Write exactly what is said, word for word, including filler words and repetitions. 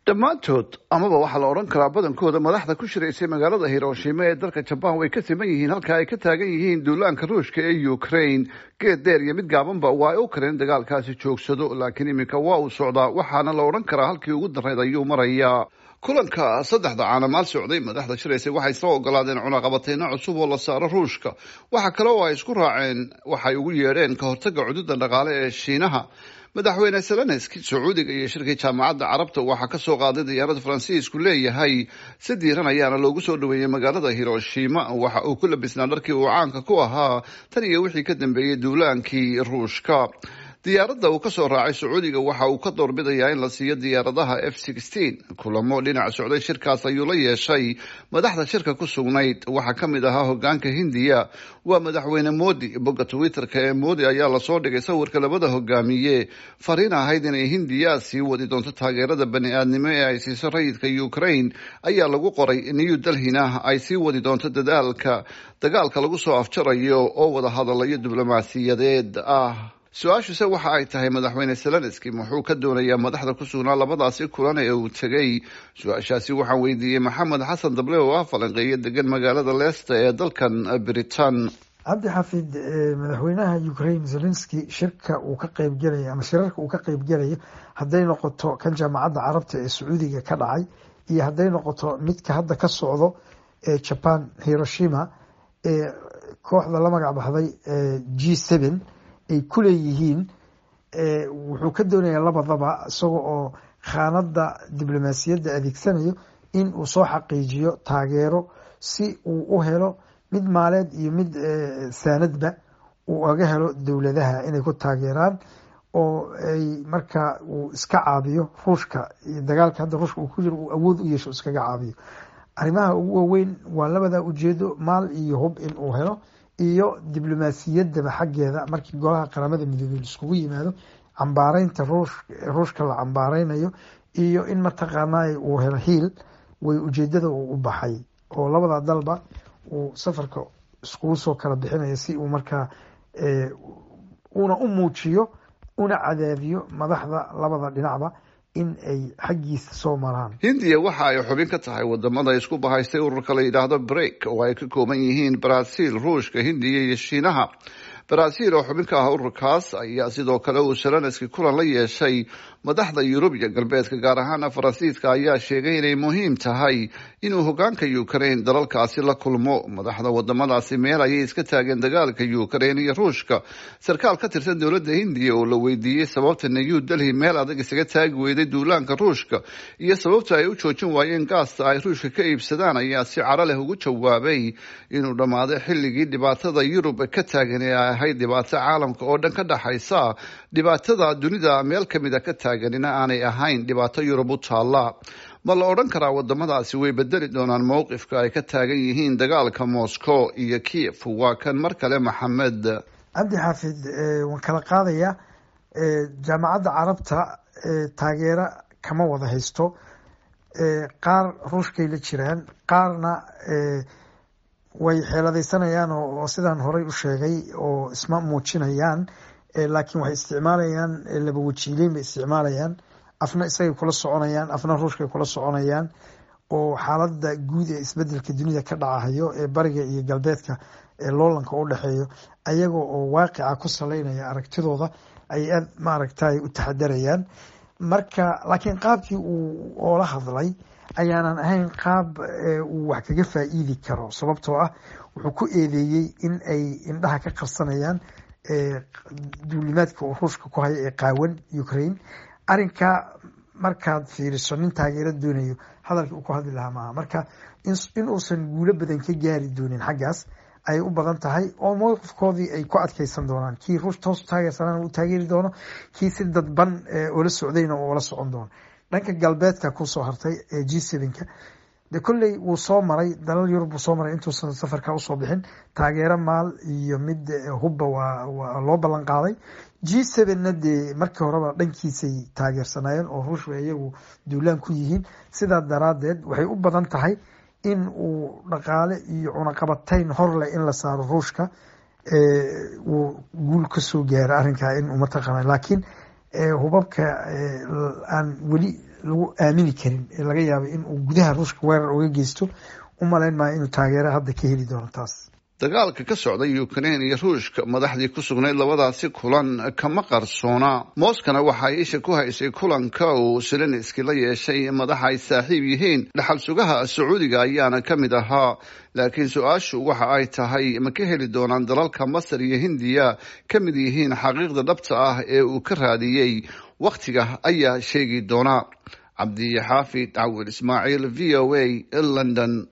Dhammaantood, amaba waxaa la odhan karaa badankooda, madaxda ku shiraysay magaalada Hiroshima ee dalka Jabaan way ka siman yihiin halka ay ka taagan yihiin duulaanka Ruushka ee Ukraine. Geed dheer iyo mid gaabanba waa ay u kareen dagaalkaasi joogsado, laakiin iminka waa uu socdaa, waxaana la odhan karaa halkii ugu darrayd ayuu marayaa. Kulanka saddexda caanamaal socday, madaxda shiraysay waxay soo ogolaadeen cunaqabateyno cusub oo la saaro Ruushka. Waxa kale oo ay isku raaceen waxay ugu yeedheen ka hortagga cududa dhaqaale ee Shiinaha. Madaxweyne Zelenski Sacuudiga iyo shirkii Jaamacadda Carabta waxaa kasoo qaaday diyaarada Faransiisku leeyahay, si diiran ayaana loogu soo dhaweeyey magaalada Hiroshima. Waxa uu ku labisnaa dharkii uu caanka ku ahaa tan iyo wixii ka dambeeyey duulaankii Ruushka. Diyaaradda uu kasoo raacay Sacuudiga waxa uu ka doorbidayaa in la siiyo diyaaradaha F. Kulamo dhinac socday shirkaas ayuu la yeeshay madaxda shirka ku sugnayd. Waxaa ka mid ahaa hogaanka Hindiya, waa Madaxweyne Modi. Bogga Twitterka ee Modi ayaa lasoo dhigay sawirka labada hogaamiye. Fariin ahayd inay Hindiya sii wadi doonto taageerada bani aadnimo ee ay siiso rayidka Ukraine ayaa lagu qoray. New Delhina ay sii wadi doonto dadaalka dagaalka lagu soo afjarayo oo wada hadalayo diblomaasiyadeed ah. Su-aashuse waxa ay tahay, Madaxweyne Zelenski muxuu ka doonayaa madaxda ku sugnaa labadaasi kulan ee uu tegey? Su-aashaasi waxaan weydiiyey Maxamed Xasan Dable oo ah falanqeeyo degan magaalada Leicester ee dalkan Britain. Cabdi Xafid, madaxweynaha Ukraine Zelenski shirka uu ka qeybgelayo ama shirarka uu ka qeybgelayo, hadday noqoto kan Jaamacadda Carabta ee Sacuudiga ka dhacay iyo hadday noqoto midka hadda ka socdo ee Japan, Hiroshima, ee kooxda la magac baxday G seven ay ku leeyihiin, wuxuu ka doonayaa labadaba, isaga oo khaanada diblomaasiyadda adeegsanayo, in uu soo xaqiijiyo taageero si uu u helo mid maaleed iyo mid saanadba uu aga helo dowladaha inay ku taageeraan oo ay markaa uu iska caabiyo Ruushka iyo dagaalka hadda Ruushka uu ku jiro, uu awood u yeesho iskaga caabiyo. Arrimaha ugu waaweyn waa labada ujeedo: maal iyo hub in uu helo iyo diblomaasiyaddaba xaggeeda markii Golaha Qaramada Midoobey laiskugu yimaado, cambaareynta ruush Ruushka la cambaareynayo iyo in mataqaanaa uu helo hiil way ujeedada uu u baxay oo labada dalba uu safarka iskugu soo kala bixinayo, si uu markaa una u muujiyo una cadaadiyo madaxda labada dhinacba in ay xaggiisa soo maraan. Hindiya waxa ay xubin ka tahay wadamada isku bahaystay ururka la yidhaahdo BRICS, oo ay ka kooban yihiin Brazil, Ruushka, Hindiya iyo Shiinaha. Brazil oo xubin ka ah ururkaas ayaa sidoo kale uu Zelenski kulan la yeeshay. Madaxda Yurub iyo galbeedka, gaar ahaana Faransiiska, ayaa sheegay inay muhiim tahay inuu hogaanka Ukraine dalalkaasi la kulmo. Madaxda wadamadaasi meel ayay iska taageen dagaalka Ukraine iyo Ruushka. Sarkaal ka tirsan dowladda Hindiya oo la weydiiyey sababta New Delhi meel adag isaga taagi weyday duulaanka Ruushka iyo sababta ay u joojin waayeen gaasta ay Ruushka ka iibsadaan ayaa si caro leh ugu jawaabay inuu dhammaaday xilligii dhibaatada Yurub ka taagan ee ay ahayd dhibaato caalamka oo dhan ka dhaxaysa, dhibaatada dunida meel kamida ka taaganina aanay ahayn dhibaato Yurub u taalla. Ma la odhan karaa wadamadaasi way bedeli doonaan mowqifka ay ka taagan yihiin dagaalka Moscow iyo Kiev? Waa kan mar kale Maxamed. Cabdi Xaafid, waan kala qaadayaa. Jaamacadda Carabta taageero kama wada haysto. Qaar Ruushkay la jiraan, qaarna way xeeladaysanayaan oo sidaan horey u sheegay oo isma muujinayaan, laakiin waxay isticmaalayaan laba wajiileyn bay isticmaalayaan. Afna isagay kula soconayaan, afna Ruushkay kula soconayaan, oo xaaladda guud ee isbedelka dunida ka dhacahayo ee bariga iyo galbeedka ee loolanka u dhexeeyo, ayaga oo waaqica ku saleynaya aragtidooda ay aad maaragtay u taxadarayaan. Marka laakiin qaabkii uu oola hadlay ayaanan ahayn qaab uu wax kaga faa'iidi karo, sababtoo ah wuxuu ku eedeeyey in ay indhaha ka qarsanayaan duulimaadka uu Ruushka ku hayo ee qaawan Ukraine. Arrinka markaad fiiriso, nin taageero doonayo hadalkii uu ku hadli lahaa maaha. Marka in uusan guulo badan ka gaari doonin xaggaas ayay u badan tahay, oo mowqifkoodii ay ku adkeysan doonaan. Kii Ruush toos taageersanana uu taageeri doono, kii si dadban ula socdayna uu ula socon doono. Dhanka galbeedka kusoo hartay ee G seven-ka, de kolley wuu soo maray dalal Yurub buu soo maray intuusan safarka usoo bixin. Taageero maal iyo mid hubba waa waa loo ballan qaaday. G seven-na dee markii horeba dhankiisay taageersanaayeen oo Ruush bay iyagu duulaan ku yihiin. Sidaa daraaddeed waxay u badan tahay in uu dhaqaale iyo cunaqabatayn horleh in la saaro Ruushka uu guul kasoo gaaro arrinkaa in uu mataqaana, laakiin hubabka aan weli lagu aamini karin ee laga yaabay in uu gudaha Ruushka weerar uga geysto, u malayn maayo inuu taageero hadda ka heli doono taas. Dagaalka ka socda Ukraine iyo Ruushka madaxdii ku sugnayd labadaasi kulan kama qarsoona. Moskana waxa ay isha ku haysay kulanka uu Zelenski la yeeshay madaxa ay saaxiib yihiin, dhaxal sugaha Sacuudiga ayaana ka mid ahaa. Laakiin su-aashu waxa ay tahay, ma ka heli doonaan dalalka Masar iyo Hindiya ka mid yihiin xaqiiqda dhabta ah ee uu ka raadiyey? Wakhtiga ayaa sheegi doona. Cabdixaafid Cawil Ismaaciil, V O A, London.